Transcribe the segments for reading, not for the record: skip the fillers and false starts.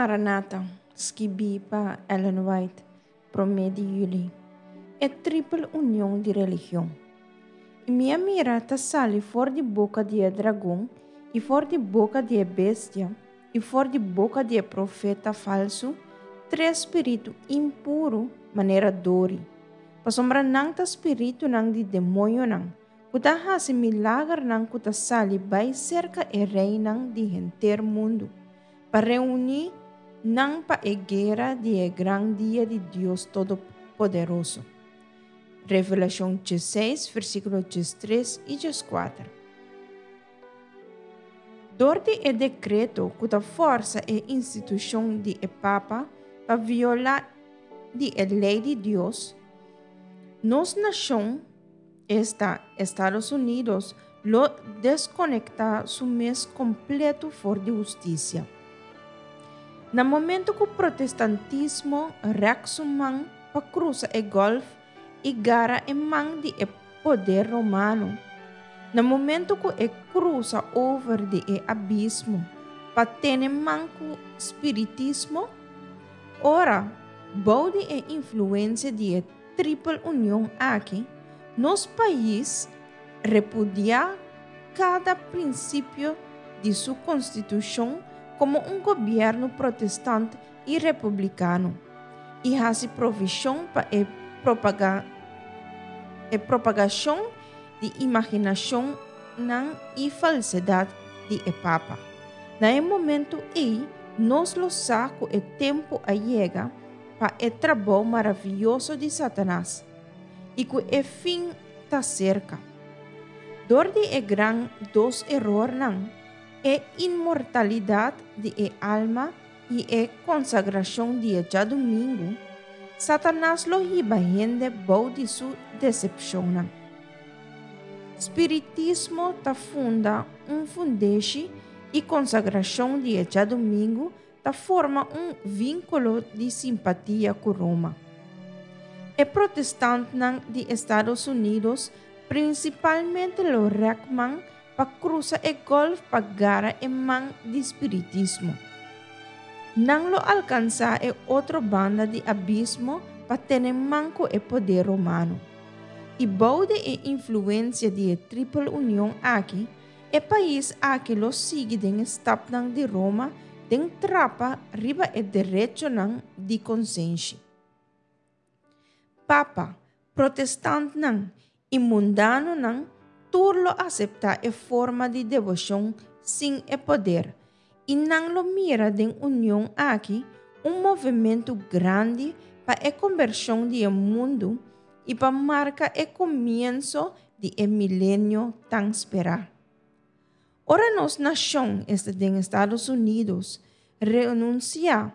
Maranata, skibí pa Ellen White, promé di yüli. E tripel union di religion. I mi a mira ta sali for di boka di e dragon, i for di boka di e bestia, i for di boka di e profeta falsu, tres spiritu impuru manera dori, pasobra nan ta spiritunan di demoñonan, ku ta hasi milagernan ku ta sali bai serka e reinan di henter mundu, pa reuní nan pa e guera di e gran dia di Dios Todopoderoso. Revelashon diesseis, versíkulo diestres i dieskuater. Dor di e dekreto ku ta fòrsa e institushon di e Papa pa violá di e lei di Dios, nos nashon, esta Estados Unidos, lo deskonektá su mes kompleto for di hustisia. Na momento ku protestantismo rèk su man pa krusa e Gòlf i gara e man di e poder romano, na momento ku e krusa over di e abismo pa tene man ku spiritismo, ora, bou di e influensia di e tripel union aki, nos pais repudiá kada prinsipio di su konstitushon komo un gobièrnu protestant i republikano i hasi provishon pa e e propagashon di imaginashonnan i falsedat di e papa. Na e momentu ei nos lo sa ku e tempu a yega pa e trabou maravioso di Satanas i ku e fin ta serka. Dor di e gran dos erornan, e inmortalidat di e alma i e konsagrashon di e djadumingu, Satanas lo hiba hende bou di su desepshonnan. Spiritismo ta funda un fundeshi i konsagrashon di e djadumingu ta forma un vínkulo di simpatia ku Roma. E protestantnan di Estados Unidos prinsipalmente lo rèk man pa krusa e gòlf pa gara e man di spiritismo. Nan lo alkansá e otro banda di abismo pa tene man ku e poder romano. I bou di e influensia di e tripel union aki, E pais aki lo sigui den e stapnan di Roma den trapa riba e derechonan di konsenshi. Papa, protestantnan i mundanonan tur lo aseptá e forma di deboshon sin e poder i nan lo mira den union aki un movementu grandi pa e kombershon di e mundu i pa marka e komienso di e milenio tan sperá. Ora nos nashon, esta den Estados Unidos, renunsiá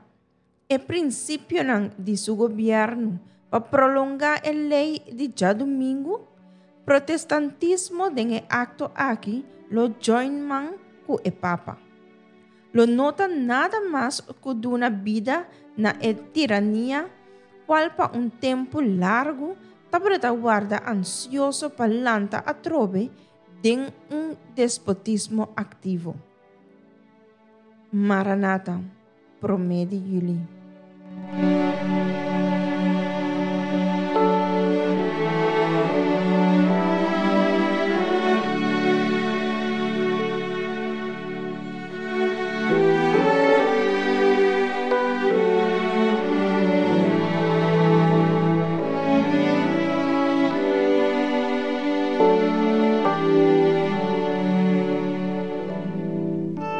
e prinsipionan di su gobièrnu pa prolongá e lei di djadumingu, protestantismo den e akto aki lo join man ku e papa. Lo no ta nada mas ku duna bida na e tirania kual pa un tempu largu tabata warda ansioso pa lanta atrobe den un despotismo aktivo. Maranata, promé di yüli.